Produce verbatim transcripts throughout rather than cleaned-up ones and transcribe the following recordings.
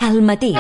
Al matí.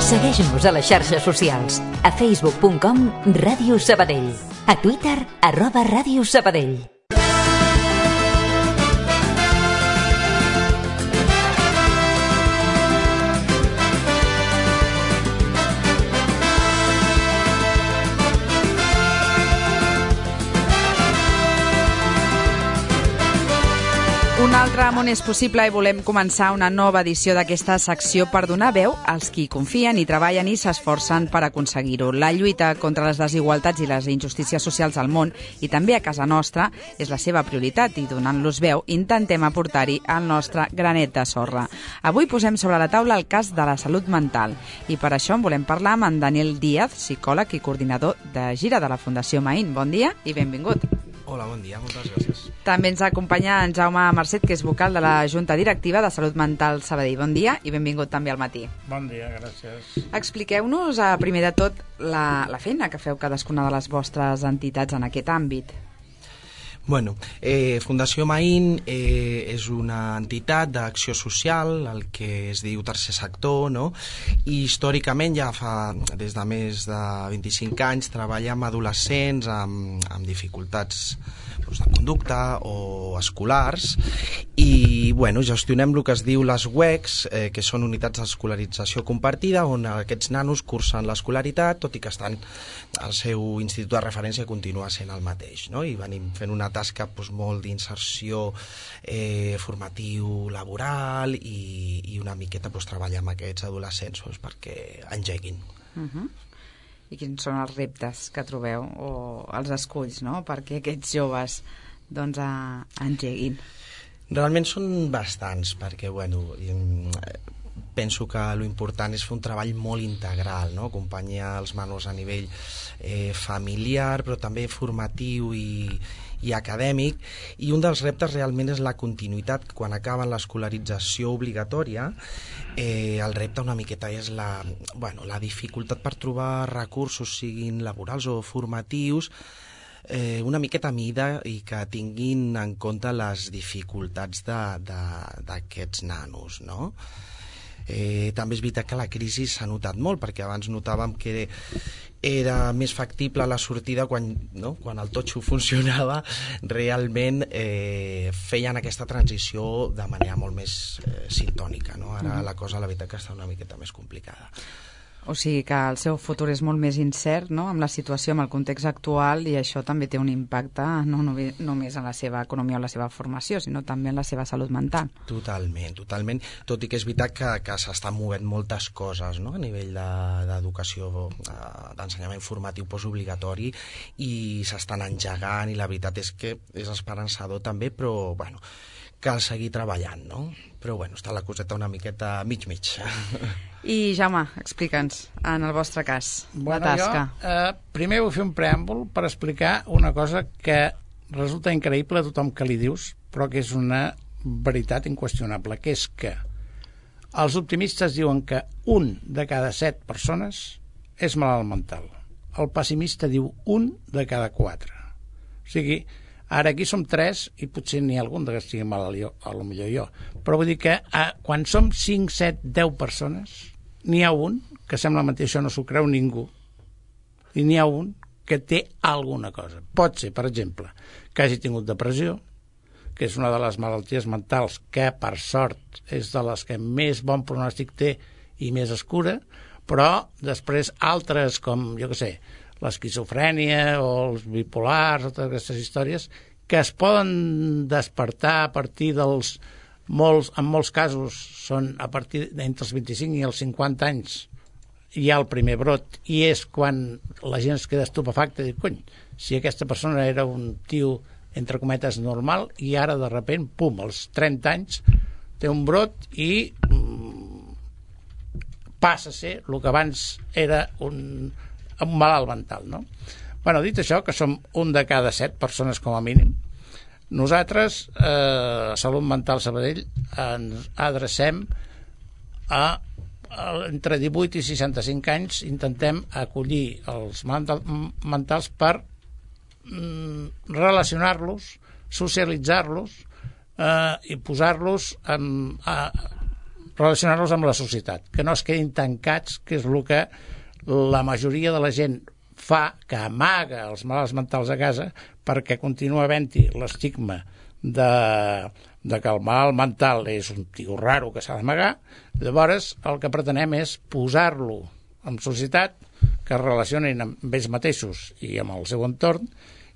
Segueix-nos a les xarxes socials. A facebook punt com Ràdio Sabadell. A Twitter, arroba Ràdio Sabadell. Un altre món és possible i volem començar una nova edició d'aquesta secció per donar veu als qui confien i treballen i s'esforcen per aconseguir-ho. La lluita contra les desigualtats i les injustícies socials al món i també a casa nostra és la seva prioritat i donant-los veu intentem aportar-hi el nostre granet de sorra. Avui posem sobre la taula el cas de la salut mental i per això en volem parlar amb en Daniel Díaz, psicòleg i coordinador de gira de la Fundació Maín. Bon dia i benvingut. Hola, bon dia, moltes gràcies. També ens acompanya en Jaume Marcet, que és vocal de la Junta Directiva de Salut Mental Sabadell. Bon dia i benvingut també al matí. Bon dia, gràcies. Expliqueu-nos, primer de tot, la, la feina que feu cadascuna de les vostres entitats en aquest àmbit. Bueno, eh, Fundació Maín eh, és una entitat d'acció social, el que es diu tercer sector, no? I històricament ja fa des de més de vint-i-cinc anys treballa amb adolescents amb, amb dificultats doncs, de conducta o escolars i bueno, gestionem el que es diu les U E Cs, eh, que són unitats d'escolarització compartida on aquests nanos cursen l'escolaritat, tot i que estan al seu institut de referència continua sent el mateix, no? I venim fent una tasca doncs, molt d'inserció eh, formatiu, laboral i, i una miqueta doncs, treballar amb aquests adolescents doncs, perquè engeguin. Uh-huh. I quins són els reptes que trobeu o els esculls, no?, perquè aquests joves doncs, a, engeguin? Realment són bastants, perquè bueno, penso que l'important és fer un treball molt integral, no? Acompanyar els menors a nivell eh, familiar, però també formatiu i, i acadèmic, i un dels reptes realment és la continuïtat. Quan acaben l'escolarització obligatòria, eh, el repte una miqueta és la, bueno, la dificultat per trobar recursos, siguin laborals o formatius, eh, una miqueta a mida i que tinguin en compte les dificultats d'aquests nanos, no? Eh, també és veritat que la crisi s'ha notat molt, perquè abans notàvem que era més factible la sortida quan, no? Quan el totxo funcionava, realment eh, feien aquesta transició de manera molt més eh, sintònica, no? Ara mm. la cosa la veritat que està una miqueta més complicada. O sigui que el seu futur és molt més incert, no?, amb la situació, amb el context actual, i això també té un impacte no només en la seva economia o la seva formació, sinó també en la seva salut mental. Totalment, totalment. Tot i que és veritat que, que s'estan movent moltes coses, no?, a nivell d'educació, de, d'ensenyament formatiu postobligatori, i s'estan engegant, i la veritat és que és esperançador també, però, bueno, cal seguir treballant, no? Però, bueno, està la coseta una miqueta mig-mig. I, Jaume, explica'ns, en el vostre cas, bueno, la tasca. Jo, eh, primer vull fer un preàmbul per explicar una cosa que resulta increïble a tothom que li dius, però que és una veritat inqüestionable, que és que els optimistes diuen que un de cada set persones és malalt mental. El pessimista diu un de cada quatre. O sigui, ara aquí som tres i potser n'hi ha algun que estigui malalt, jo, a lo millor jo. Però vull dir que eh, quan som cinc, set, deu persones, n'hi ha un que sembla mentir, això no s'ho creu ningú, i n'hi ha un que té alguna cosa. Pot ser, per exemple, que hagi tingut depressió, que és una de les malalties mentals que, per sort, és de les que més bon pronòstic té i més es cura, però després altres, com, jo què sé, l'esquizofrènia o els bipolars o totes aquestes històries que es poden despertar a partir dels molts, en molts casos són a partir d'entre els vint-i-cinc i els cinquanta anys hi ha el primer brot i és quan la gent es queda estupefacta i diu, cony, si aquesta persona era un tio entre cometes normal i ara de repent, pum, als trenta anys té un brot i mm, passa a ser el que abans era un, un malalt mental, no? Bueno, dit això, que som un de cada set persones com a mínim, nosaltres, eh, a Salut Mental Sabadell, ens adrecem a, a entre divuit i seixanta-cinc anys, intentem acollir els mental, mentals per mm, relacionar-los, socialitzar-los eh, i posar-los en, a, relacionar-los amb la societat, que no es quedin tancats, que és el que la majoria de la gent fa, que amaga els malalts mentals a casa perquè continua havent-hi l'estigma de, de que el malalt mental és un tio raro que s'ha d'amagar. Llavors el que pretenem és posar-lo en societat, que es relacionin amb ells mateixos i amb el seu entorn,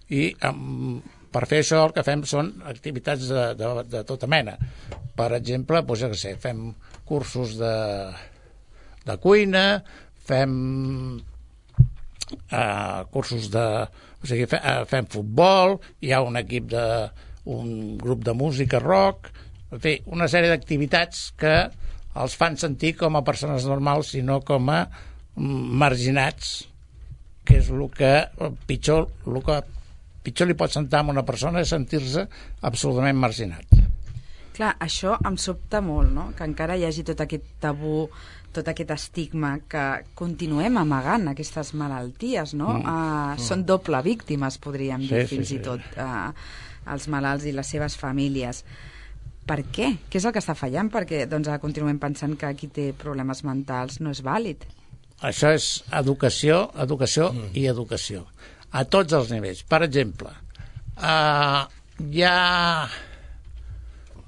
i amb, per fer això el que fem són activitats de, de, de tota mena. Per exemple, doncs, ja que sé, fem cursos de, de cuina, fem Uh, cursos de... O sigui, fe, uh, fem futbol, hi ha un equip de... un grup de música rock, en fi, una sèrie d'activitats que els fan sentir com a persones normals i no com a marginats, que és el que pitjor, el que pitjor li pot sentar a una persona és sentir-se absolutament marginat. Clar, això em sobta molt, no? Que encara hi hagi tot aquest tabú, tot aquest estigma, que continuem amagant aquestes malalties, no? Mm. Uh, mm. Són doble víctimes, podríem dir, sí, fins sí, i tot, sí. uh, els malalts i les seves famílies. Per què? Què és el que està fallant? Perquè doncs, continuem pensant que qui té problemes mentals no és vàlid. Això és educació, educació mm. i educació. A tots els nivells. Per exemple, uh, hi ha...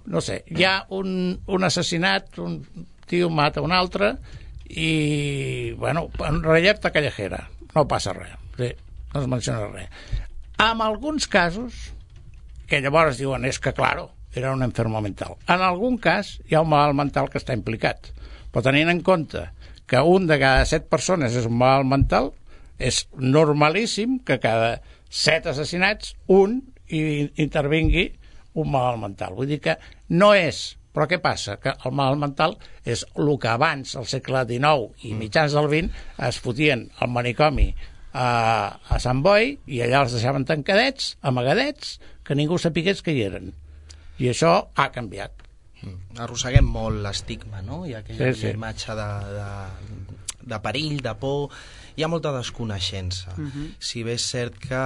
no sé, hi ha un, un assassinat, un tio mata un altre i, bueno, en rellaeta callejera, no passa res, sí, no es menciona res. En alguns casos, que llavors diuen, és que, claro, era un enfermo mental. En algun cas hi ha un malalt mental que està implicat, però tenint en compte que un de cada set persones és un malalt mental, és normalíssim que cada set assassinats un intervingui un malalt mental. Vull dir que no és... Però què passa? Que el malalt mental és el que abans, al segle dinou i mitjans del vint, es fotien al manicomi a, a Sant Boi i allà els deixaven tancadets, amagadets, que ningú sapigués que hi eren. I això ha canviat. Arrosseguem molt l'estigma, no? Hi ha aquella sí, sí. imatge de, de, de perill, de por... Hi ha molta desconeixença. Uh-huh. Si bé és cert que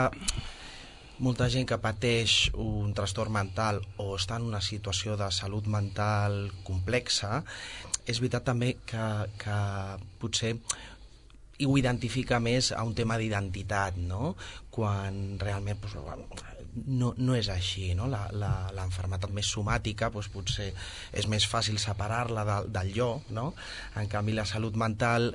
molta gent que pateix un trastorn mental o està en una situació de salut mental complexa, és veritat també que, que potser ho identifica més a un tema d'identitat, no? Quan realment doncs, no, no és així, no? La, la, l'enfermetat més somàtica doncs, potser és més fàcil separar-la de, del jo, no? En canvi la salut mental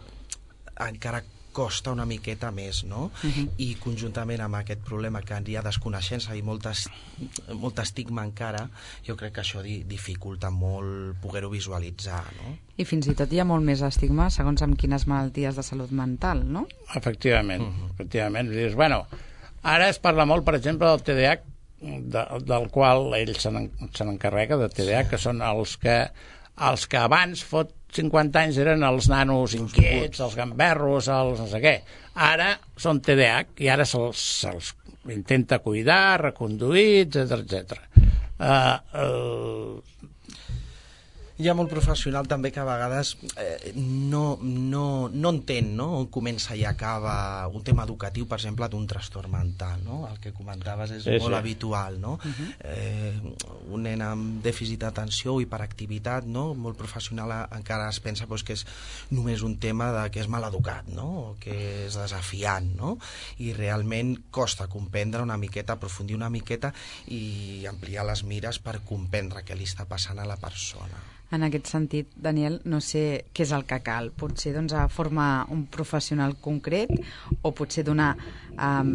encara costa una miqueta més, no? Uh-huh. I conjuntament amb aquest problema que hi ha desconeixença i molt, es, molt estigma encara, jo crec que això di, dificulta molt poder-ho visualitzar, no? I fins i tot hi ha molt més estigma segons amb quines malalties de salut mental, no? Efectivament, uh-huh. efectivament. Dius, bueno, ara es parla molt, per exemple, del T D A H, de, del qual ell se n'encarrega, de T D A H, sí. que són els que, els que abans fot cinquanta anys eren els nanos inquiets, els gamberros, els no sé què. Ara són T D A H i ara se'ls, se'ls intenta cuidar, reconduir, etcètera, etcètera. Uh, uh, hi ha molt professional també que a vegades eh, no, no, no entén, no? On comença i acaba un tema educatiu, per exemple, d'un trastorn mental, no? El que comentaves és sí, molt sí. habitual, no? Uh-huh. eh, un nen amb dèficit d'atenció o hiperactivitat, no? Molt professional encara es pensa pues, que és només un tema de que és mal educat, no? O que és desafiant, no? I realment costa comprendre una miqueta, aprofundir una miqueta i ampliar les mires per comprendre què li està passant a la persona. En aquest sentit, Daniel, no sé què és el que cal. Potser doncs, formar un professional concret o potser donar um,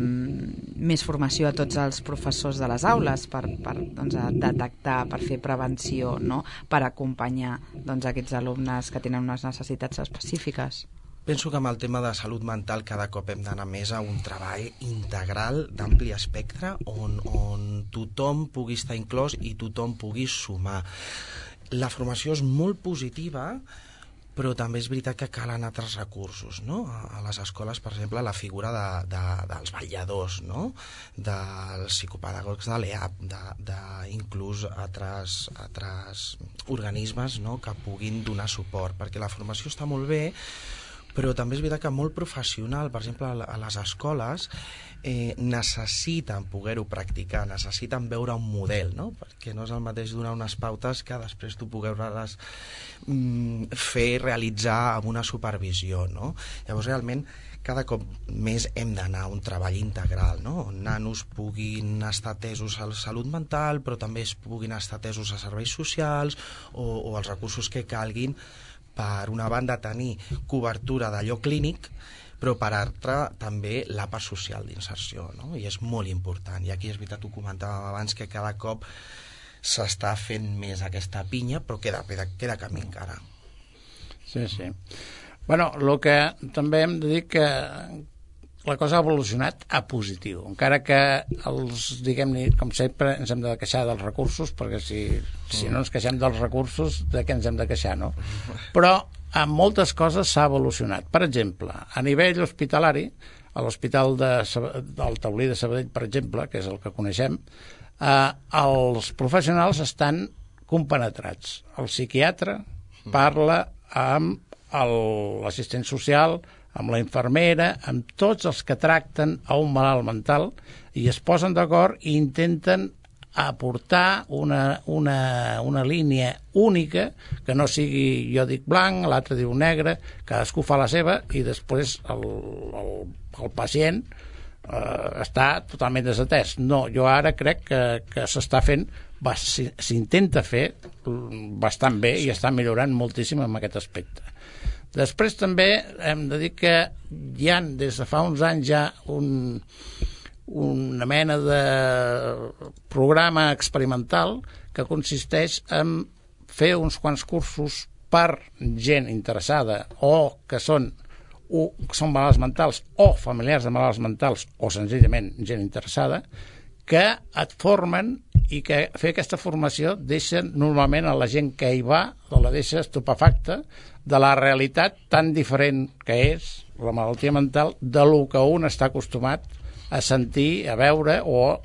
més formació a tots els professors de les aules per, per doncs, detectar, per fer prevenció, no? Per acompanyar doncs, aquests alumnes que tenen unes necessitats específiques. Penso que amb el tema de salut mental cada cop hem d'anar més a un treball integral d'ampli espectre on, on tothom pugui estar inclòs i tothom pugui sumar. la formació és molt positiva, però també és veritat que calen altres recursos, no? A les escoles, per exemple, la figura de, de, dels vetlladors, no? Dels psicopedagogs de l'E A P, de, de inclús altres, altres organismes, no? Que puguin donar suport, perquè la formació està molt bé, però també és veritat que molt professional, per exemple, a les escoles, eh, necessiten poder-ho practicar, necessiten veure un model, no? Perquè no és el mateix donar unes pautes que després tu poder-les mm, fer realitzar amb una supervisió, no? Llavors, realment, cada cop més hem d'anar a un treball integral, no? On nanos puguin estar atesos a la salut mental, però també es puguin estar atesos a serveis socials o, o els recursos que calguin, per una banda tenir cobertura d'allò clínic, però per altra també la part social d'inserció, no? I és molt important. I aquí és veritat, ho comentàvem abans, que cada cop s'està fent més aquesta pinya, però queda, queda, queda camí encara. Sí, sí. Bueno, el que també hem de dir que la cosa ha evolucionat a positiu, encara que els, diguem-ne, com sempre, ens hem de queixar dels recursos, perquè si, si no ens queixem dels recursos, de què ens hem de queixar, no? Però en moltes coses s'ha evolucionat. Per exemple, a nivell hospitalari, a l'Hospital de, del Taulí de Sabadell, per exemple, que és el que coneixem, eh, els professionals estan compenetrats. El psiquiatre parla amb l'assistent social, amb la infermera, amb tots els que tracten a un malalt mental, i es posen d'acord i intenten aportar una, una, una línia única, que no sigui jo dic blanc, l'altre diu negre, cadascú fa la seva, i després el, el, el pacient eh, està totalment desatès. No, jo ara crec que, que s'està fent, s'intenta fer bastant bé i està millorant moltíssim en aquest aspecte. Després també hem de dir que hi ha, des de fa uns anys ja, un, una mena de programa experimental que consisteix en fer uns quants cursos per gent interessada o que són, o, que són malalts mentals o familiars de malalts mentals o senzillament gent interessada, que et formen i que fer aquesta formació deixa normalment a la gent que hi va o la deixa estupefacta de la realitat tan diferent que és la malaltia mental de lo que un està acostumat a sentir, a veure, o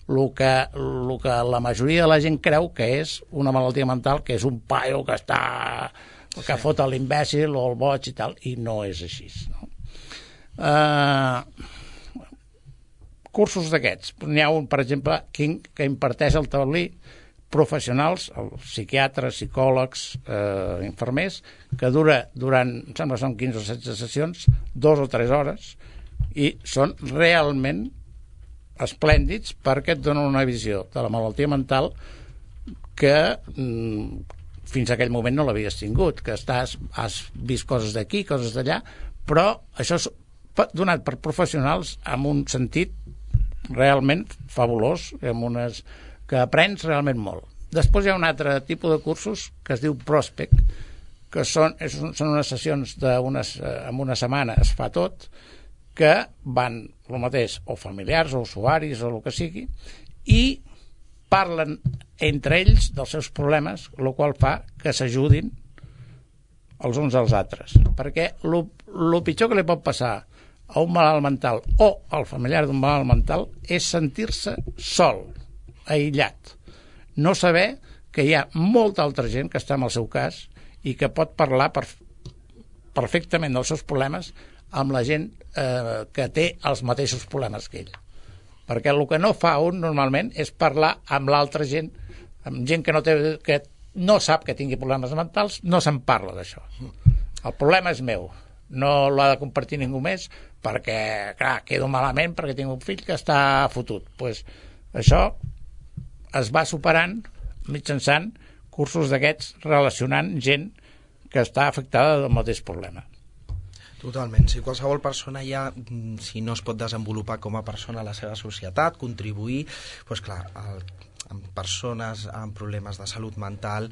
el que, el que la majoria de la gent creu que és una malaltia mental, que és un paio que està que fot l'imbècil o el boig i tal, i no és així, no? Uh, cursos d'aquests, n'hi ha un, per exemple, que imparteix el Taulí, professionals, psiquiatres, psicòlegs, eh, infermers, que dura durant, em sembla que són quinze o setze sessions, dos o tres hores, i són realment esplèndids perquè et donen una visió de la malaltia mental que mm, fins a aquell moment no l'havies tingut, que estàs, has vist coses d'aquí, coses d'allà, però això és donat per professionals amb un sentit realment fabulós, amb unes que aprens realment molt. Després hi ha un altre tipus de cursos que es diu Prospect, que són, són unes sessions d'unes, en una setmana es fa tot, que van el mateix, o familiars, o usuaris, o el que sigui, i parlen entre ells dels seus problemes, el qual fa que s'ajudin els uns als altres. Perquè el pitjor que li pot passar a un malalt mental o al familiar d'un malalt mental és sentir-se sol, aïllat, no saber que hi ha molta altra gent que està en el seu cas i que pot parlar per, perfectament dels seus problemes amb la gent eh, que té els mateixos problemes que ell. Perquè el que no fa un normalment és parlar amb l'altra gent, amb gent que no, té, que no sap que tingui problemes mentals, no se'n parla d'això. El problema és meu, no l'ha de compartir ningú més perquè, clar, quedo malament perquè tinc un fill que està fotut. Pues, això es va superant mitjançant cursos d'aquests relacionant gent que està afectada del mateix problema. Totalment. Si qualsevol persona ja, si no es pot desenvolupar com a persona a la seva societat, contribuir, doncs clar, el, amb persones amb problemes de salut mental,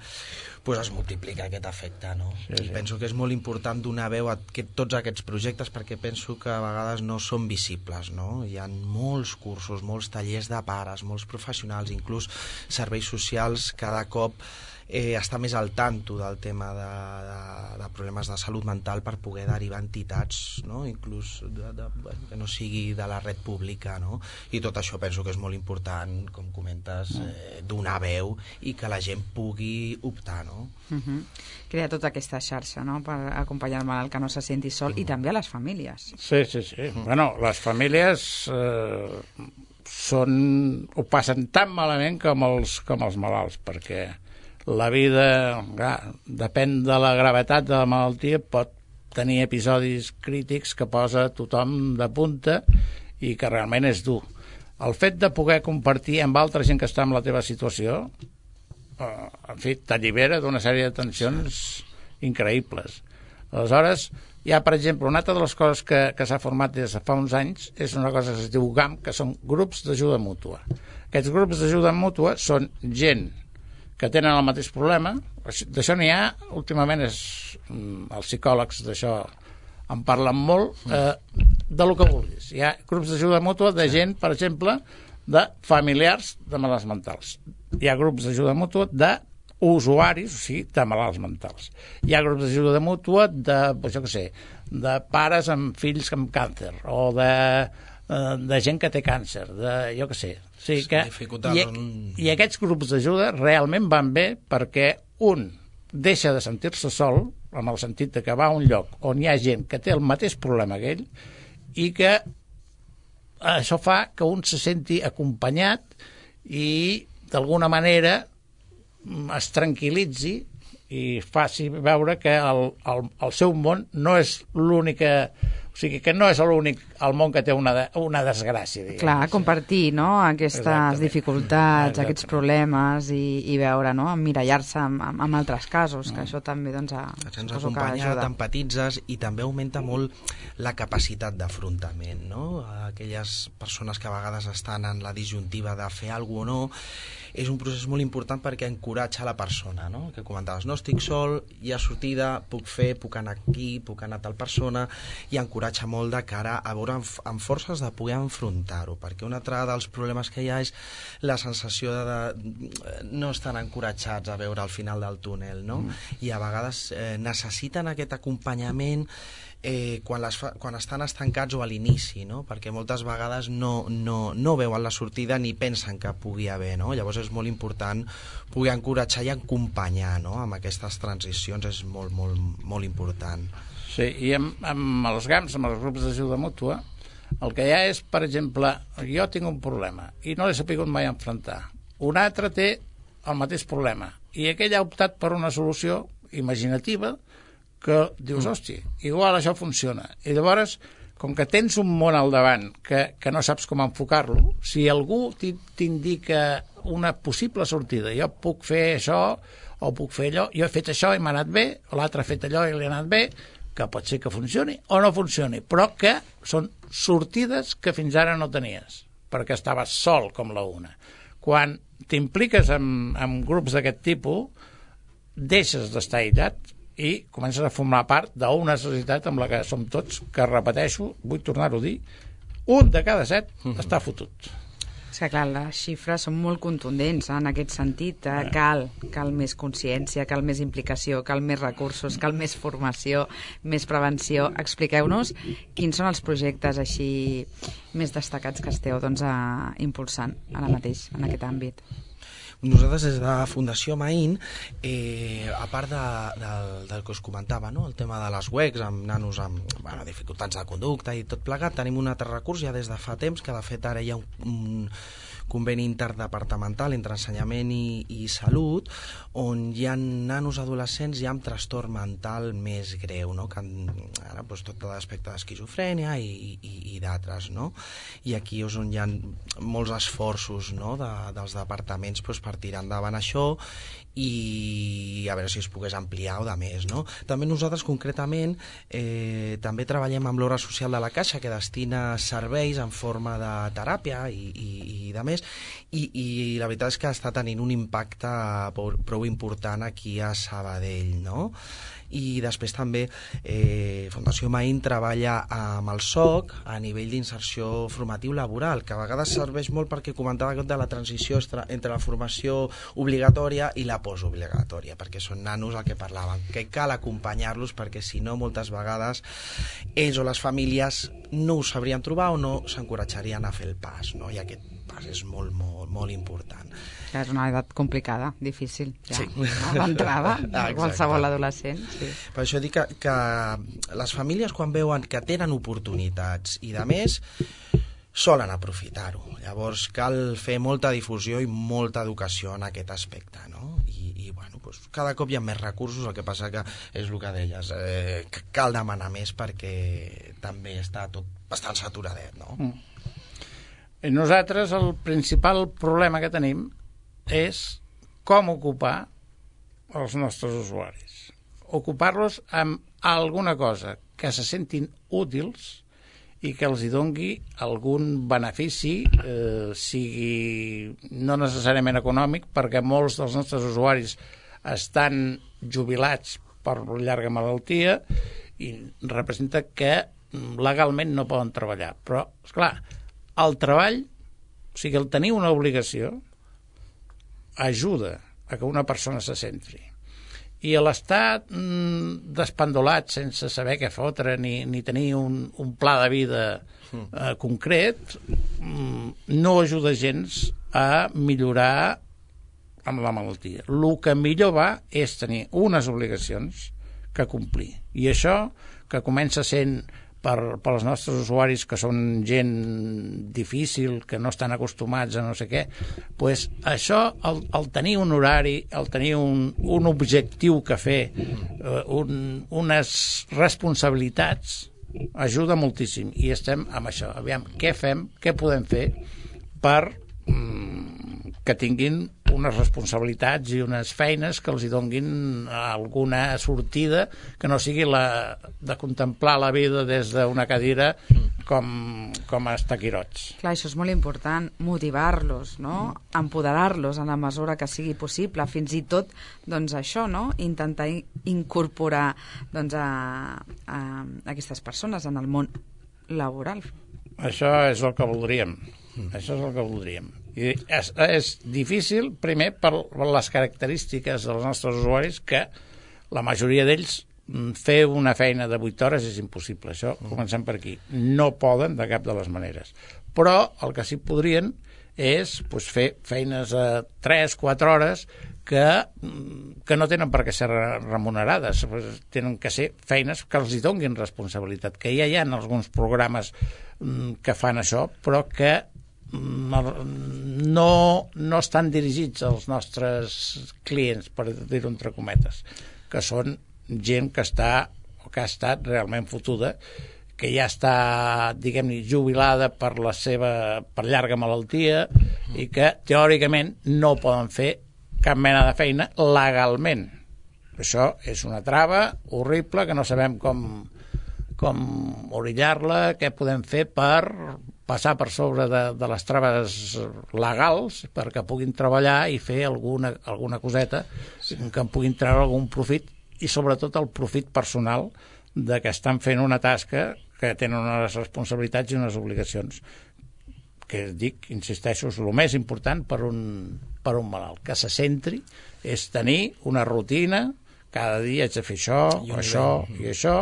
doncs es multiplica aquest efecte, no? Sí, sí. I penso que és molt important donar veu a aquest, tots aquests projectes, perquè penso que a vegades no són visibles, no? Hi ha molts cursos, molts tallers de pares, molts professionals, inclús serveis socials cada cop eh, estar més al tanto del tema de, de, de problemes de salut mental per poder derivar entitats, no? Inclús de, de, bueno, que no sigui de la red pública, no? I tot això penso que és molt important, com comentes, eh, donar veu i que la gent pugui optar, no? Uh-huh. Crear tota aquesta xarxa, no?, per acompanyar el malalt que no se senti sol, uh-huh. i també a les famílies. Sí, sí, sí. Uh-huh. Bueno, les famílies eh, són, ho passen tan malament com els, com els malalts, perquè la vida, clar, depèn de la gravetat de la malaltia, pot tenir episodis crítics que posa tothom de punta i que realment és dur. El fet de poder compartir amb altra gent que està en la teva situació, eh, en fi, t'allibera d'una sèrie de tensions increïbles. Aleshores, hi ha, per exemple, una altra de les coses que, que s'ha format des de fa uns anys és una cosa que es diu G A M, que són grups d'ajuda mútua. Aquests grups d'ajuda mútua són gent que tenen el mateix problema. D'això n'hi ha, últimament és, els psicòlegs d'això en parlen molt, eh, de lo que vulguis. Hi ha grups d'ajuda mútua de gent, per exemple, de familiars de malalts mentals. Hi ha grups d'ajuda mútua de usuaris, o sigui, de malalts mentals. Hi ha grups d'ajuda mútua de, pues jo què sé, de pares amb fills amb càncer, o de, de gent que té càncer, de, jo què sé. O sigui que, i, I aquests grups d'ajuda realment van bé perquè un deixa de sentir-se sol, amb el sentit de que va a un lloc on hi ha gent que té el mateix problema que ell, i que això fa que un se senti acompanyat i d'alguna manera es tranquil·litzi i faci veure que el, el, el seu món no és l'única... O sigui, que no és l'únic el món que té una, de, una desgràcia. Diguem. Clar, compartir, no?, aquestes Exactament. dificultats, Exactament. aquests problemes i, i veure, no?, emmirallar-se en, en altres casos, que mm. això també, doncs, a, ens acompanya, t'empatitzes i també augmenta molt la capacitat d'afrontament, no? Aquelles persones que a vegades estan en la disjuntiva de fer alguna cosa o no, és un procés molt important perquè encoratja la persona, no? Que comentaves, no estic sol, hi ha sortida, puc fer, puc anar aquí, puc anar a tal persona, i encoratja molt de cara a veure amb, amb forces de poder enfrontar-ho, perquè un altre dels problemes que hi ha és la sensació de, de no estan encoratjats a veure al final del túnel, no? Mm. I a vegades eh, necessiten aquest acompanyament Eh, quan, les fa, quan estan estancats o a l'inici, no? Perquè moltes vegades no, no, no veuen la sortida ni pensen que pugui haver, no? Llavors és molt important poder encoratjar i acompanyar, no? Amb aquestes transicions és molt, molt, molt important. Sí, i amb, amb els G A Ms, amb els grups d'ajuda mútua, el que hi ha és, per exemple, jo tinc un problema i no l'he sapigut mai enfrontar. Un altre té el mateix problema i aquell ha optat per una solució imaginativa que dius, hòstia, igual això funciona. I llavors, com que tens un món al davant que, que no saps com enfocar-lo, si algú t'indica una possible sortida, jo puc fer això o puc fer allò, jo he fet això i m'ha anat bé, o l'altre ha fet allò i li ha anat bé, que pot ser que funcioni o no funcioni, però que són sortides que fins ara no tenies, perquè estaves sol com la una. Quan t'impliques en, en grups d'aquest tipus, deixes d'estar aïllat i comences a formar part d'una societat amb la que som tots, que repeteixo, vull tornar-ho a dir, un de cada set mm-hmm. està fotut. És que clar, les xifres són molt contundents en aquest sentit. Eh? Cal, cal més consciència, cal més implicació, cal més recursos, cal més formació, més prevenció. Expliqueu-nos quins són els projectes així més destacats que esteu doncs, a, impulsant ara mateix en aquest àmbit. Nosaltres des de Fundació Maín, eh, a part de, de, del que us comentava, no? El tema de les U E Cs amb nanos amb bueno, dificultats de conducta i tot plegat, tenim un altre recurs ja des de fa temps, que de fet ara hi ha un, un conveni interdepartamental entre ensenyament i, i salut, on hi ha nanos adolescents ja amb trastorn mental més greu, no? Que han, ara, doncs, tot l'aspecte d'esquizofrènia i, i, i d'altres, no? I aquí és on hi ha molts esforços, no? de, dels departaments doncs, per tirar endavant això i a veure si es pogués ampliar o de més, no? També nosaltres concretament eh, també treballem amb l'Obra Social de la Caixa, que destina serveis en forma de teràpia i, i, i de més, i, i la veritat és que està tenint un impacte prou, prou important aquí a Sabadell, no? I després també eh, Fundació Maín treballa amb el S O C a nivell d'inserció formatiu laboral, que a vegades serveix molt perquè comentava de la transició entre la formació obligatòria i la la postobligatòria, perquè són nanos el que parlaven, que cal acompanyar-los perquè si no moltes vegades ells o les famílies no ho sabrien trobar o no s'encoratjarien a fer el pas, no? I aquest pas és molt, molt, molt important. És una edat complicada, difícil, ja, sí. no? L'entrada de qualsevol adolescent. Sí. Per això dic que, que les famílies quan veuen que tenen oportunitats i de més, solen aprofitar-ho. Llavors cal fer molta difusió i molta educació en aquest aspecte, no? I, i bueno, doncs, cada cop hi ha més recursos, el que passa que és el que deies, eh, que cal demanar més perquè també està tot bastant saturadet, no? Mm. I nosaltres el principal problema que tenim és com ocupar els nostres usuaris. Ocupar-los amb alguna cosa que se sentin útils i que els hi dongui algun benefici, eh, sigui no necessàriament econòmic, perquè molts dels nostres usuaris estan jubilats per llarga malaltia i representa que legalment no poden treballar. Però, esclar, el treball, o sigui, el tenir una obligació, ajuda a que una persona se centri. I l'estar mm, despendolat sense saber què fotre ni, ni tenir un, un pla de vida eh, concret mm, no ajuda gens a millorar amb la malaltia. El que millor va és tenir unes obligacions que complir. I això, que comença sent per, per als nostres usuaris que són gent difícil, que no estan acostumats a no sé què, pues això, el, el tenir un horari, el tenir un, un objectiu que fer, eh, un, unes responsabilitats, ajuda moltíssim. I estem amb això. Aviam, què fem, què podem fer per mm, que tinguin unes responsabilitats i unes feines que els hi donguin alguna sortida, que no sigui la de contemplar la vida des d'una cadira com, com a estaquirots. Clar, això és molt important, motivar-los, no? Empoderar-los en la mesura que sigui possible, fins i tot, doncs això, no? Intentar incorporar doncs, a, a aquestes persones en el món laboral. Això és el que voldríem. Això és el que voldríem. I és, és difícil, primer, per les característiques dels nostres usuaris, que la majoria d'ells fer una feina de vuit hores és impossible. Això, comencem per aquí. No poden de cap de les maneres. Però el que sí podrien és pues, fer feines a tres quatre hores que, que no tenen per què ser remunerades. Tenen que ser feines que els hi donguin responsabilitat, que ja hi ha alguns programes que fan això, però que no, no estan dirigits als nostres clients, per dir-ho entre cometes, que són gent que està o que ha estat realment fotuda, que ja està, diguem-ne, jubilada per la seva per llarga malaltia i que teòricament no poden fer cap mena de feina legalment. Això és una trava horrible que no sabem com, com orillar-la, què podem fer per passar per sobre de, de les traves legals perquè puguin treballar i fer alguna, alguna coseta que en puguin treure algun profit i sobretot el profit personal de que estan fent una tasca que tenen unes responsabilitats i unes obligacions que dic, insisteixo, és el més important per un, per un malalt, que se centri, és tenir una rutina, cada dia haig de fer això, I això i això,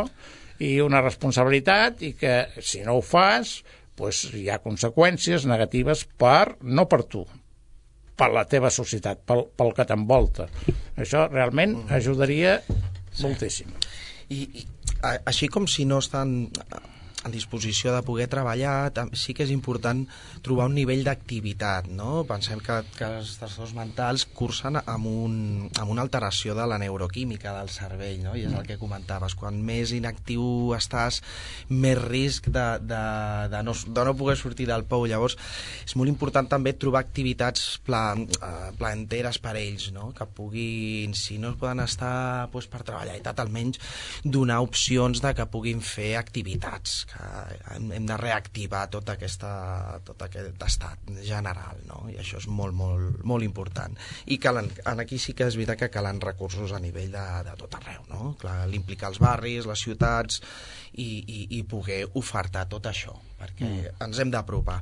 i una responsabilitat, i que si no ho fas, pues, hi ha conseqüències negatives per, no per tu, per la teva societat, pel, pel que t'envolta. Això realment ajudaria moltíssim. I, i així com si no estan en disposició de poder treballar, sí que és important trobar un nivell d'activitat, no? Pensem que, que els trastorns mentals cursen amb, un, amb una alteració de la neuroquímica del cervell, no? I és el que comentaves, quan més inactiu estàs, més risc de, de, de, no, de no poder sortir del pou. Llavors és molt important també trobar activitats pla, uh, plaenteres per ells, no? Que puguin, si no poden estar doncs, per treballar i tal, almenys donar opcions de que puguin fer activitats, que hem de reactivar tot, aquesta, tot aquest estat general, no? I això és molt, molt, molt important. I calen, aquí sí que és veritat que calen recursos a nivell de, de tot arreu, no? Clar, l'implicar els barris, les ciutats i, i, i poder ofertar tot això, perquè mm. ens hem d'apropar.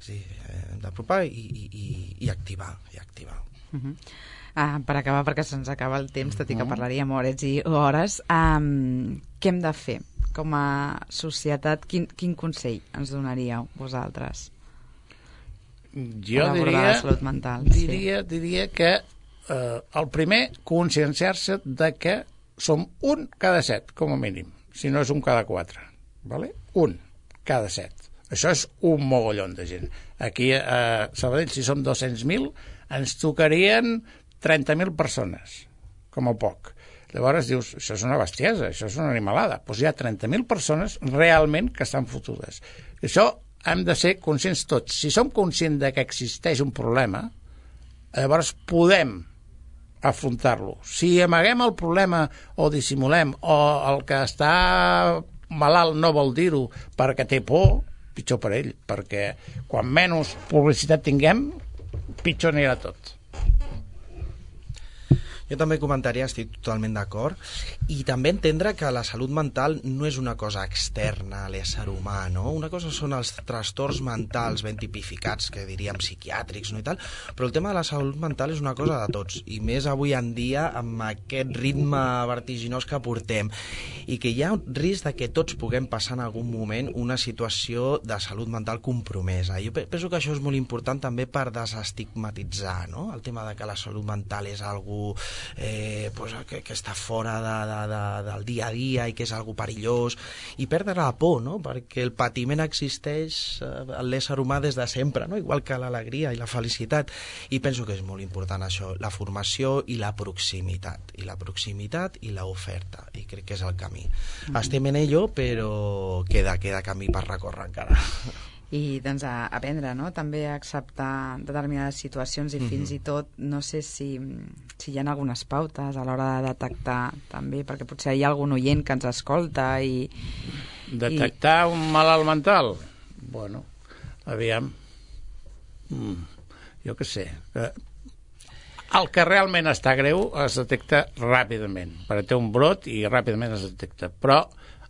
Sí, hem d'apropar i, i, i activar, i activar. Uh-huh. Uh, per acabar, perquè se'ns acaba el temps, tot i que parlaríem hores i hores, um, què hem de fer com a societat? Quin, quin consell ens donaríeu vosaltres? Jo diria, la salut mental, diria, sí. diria que eh, el primer, conscienciar-se de que som un cada set, com a mínim, si no és un cada quatre, ¿vale? Un cada set. Això és un mogollon de gent. Aquí a Sabadell, si som dos-cents mil, ens tocarien trenta mil persones, com a poc. Llavors dius, això és una bestiesa, això és una animalada. Doncs hi ha trenta mil persones realment que estan fotudes. Això hem de ser conscients tots. Si som conscients de que existeix un problema, llavors podem afrontar-lo. Si amaguem el problema o dissimulem o el que està malalt no vol dir-ho perquè té por, pitjor per ell, perquè quan menys publicitat tinguem, pitjor anirà tot. Jo també comentaria, estic totalment d'acord, i també entendre que la salut mental no és una cosa externa a l'ésser humà, no? Una cosa són els trastorns mentals ben tipificats, que diríem psiquiàtrics, no? I tal, però el tema de la salut mental és una cosa de tots, i més avui en dia amb aquest ritme vertiginós que portem, i que hi ha un risc de que tots puguem passar en algun moment una situació de salut mental compromesa. Jo penso que això és molt important també per desestigmatitzar, no? El tema de que la salut mental és algo Eh, pues, que, que està fora de, de, de, del dia a dia i que és algo perillós, i perdre la por, no? Perquè el patiment existeix eh, en l'ésser humà des de sempre, no? Igual que l'alegria i la felicitat, i penso que és molt important això, la formació i la proximitat, i la proximitat i l'oferta, i crec que és el camí. Mm-hmm. Estem en ello, però queda, queda camí per recórrer encara. I doncs a aprendre, no? També a acceptar determinades situacions i mm-hmm. fins i tot, no sé si, si hi ha algunes pautes a l'hora de detectar també, perquè potser hi ha algun oient que ens escolta i... Detectar i... un malalt mental? Bueno, aviam... Mm, jo què sé... El que realment està greu es detecta ràpidament, perquè té un brot i ràpidament es detecta, però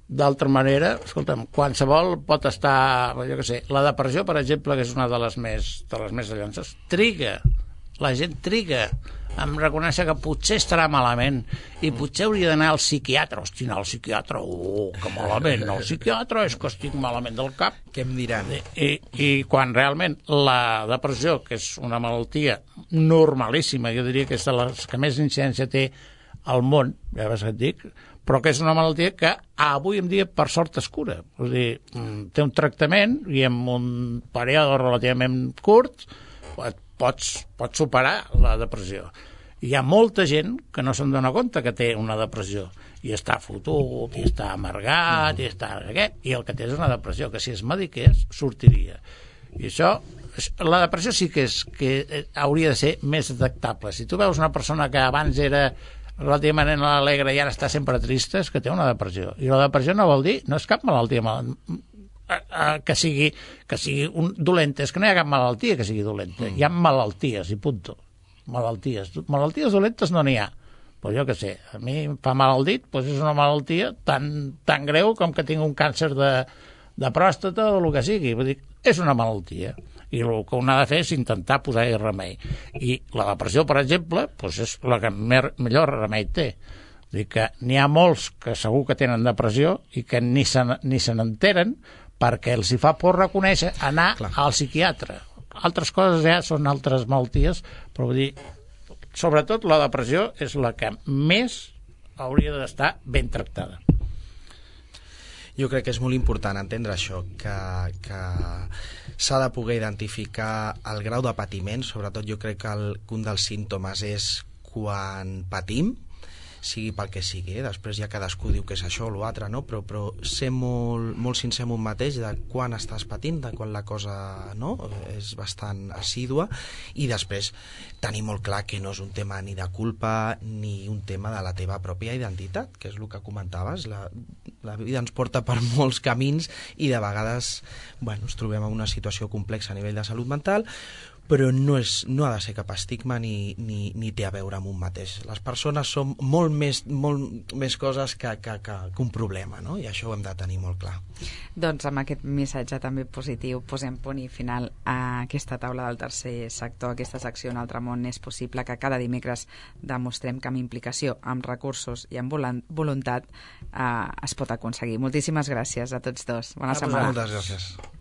d'altra manera, escolta'm, qualsevol pot estar, jo què sé, la depressió, per exemple, que és una de les més, de les més llances, triga, la gent triga em reconèixer que potser estarà malament i potser hauria d'anar al psiquiatre. Hosti, anar al psiquiatre, oh, que malament, no, al psiquiatre és que estic malament del cap. Què em diran? I, i quan realment la depressió, que és una malaltia normalíssima, jo diria que és de les que més incidència té al món, ja veus que et dic, però que és una malaltia que avui en dia per sort es cura. Vull dir, té un tractament i en un període relativament curt pots, pots superar la depressió. Hi ha molta gent que no se'n dona compte que té una depressió i està fotut, i està amargat, i està... i el que té és una depressió, que si es mediqués sortiria. I això, la depressió sí que, és, que hauria de ser més detectable. Si tu veus una persona que abans era relativament alegre i ara està sempre trista, és que té una depressió. I la depressió no vol dir, no és cap malaltia mal, que sigui, que sigui un dolenta, és que no hi ha cap malaltia que sigui dolenta, hi ha malalties i punto. Malalties. Malalties dolentes no n'hi ha. Pues jo què sé, a mi em fa mal el dit, pues és una malaltia tan, tan greu com que tinc un càncer de, de pròstata o el que sigui. Vull dir, és una malaltia. I el que un ha de fer és intentar posar-hi remei. I la depressió, per exemple, doncs és la que mer, millor remei té. Vull dir que n'hi ha molts que segur que tenen depressió i que ni se, ni se n'enteren perquè els hi fa por reconèixer anar Clar. al psiquiatre. Altres coses ja són altres malalties, però vull dir, sobretot la depressió és la que més hauria d'estar ben tractada. Jo crec que és molt important entendre això, que, que s'ha de poder identificar el grau de patiment. Sobretot jo crec que, el, que un dels símptomes és quan patim, sigui pel que sigui, eh? Després ja cadascú diu que és això o l'altre, no? però, però ser molt, molt sincer amb un mateix de quan estàs patint, de quan la cosa no? és bastant assídua, i després tenir molt clar que no és un tema ni de culpa ni un tema de la teva pròpia identitat, que és el que comentaves, la, la vida ens porta per molts camins i de vegades bueno, ens trobem en una situació complexa a nivell de salut mental, però no, és, no ha de ser cap estigma ni, ni, ni té a veure amb un mateix. Les persones som molt més, molt més coses que, que, que, que un problema, no? I això ho hem de tenir molt clar. Doncs amb aquest missatge també positiu posem punt i final a aquesta taula del tercer sector, aquesta secció Un altre món és possible, que cada dimecres demostrem que amb implicació, amb recursos i amb voluntat eh, es pot aconseguir. Moltíssimes gràcies a tots dos. Bona setmana. Moltes gràcies.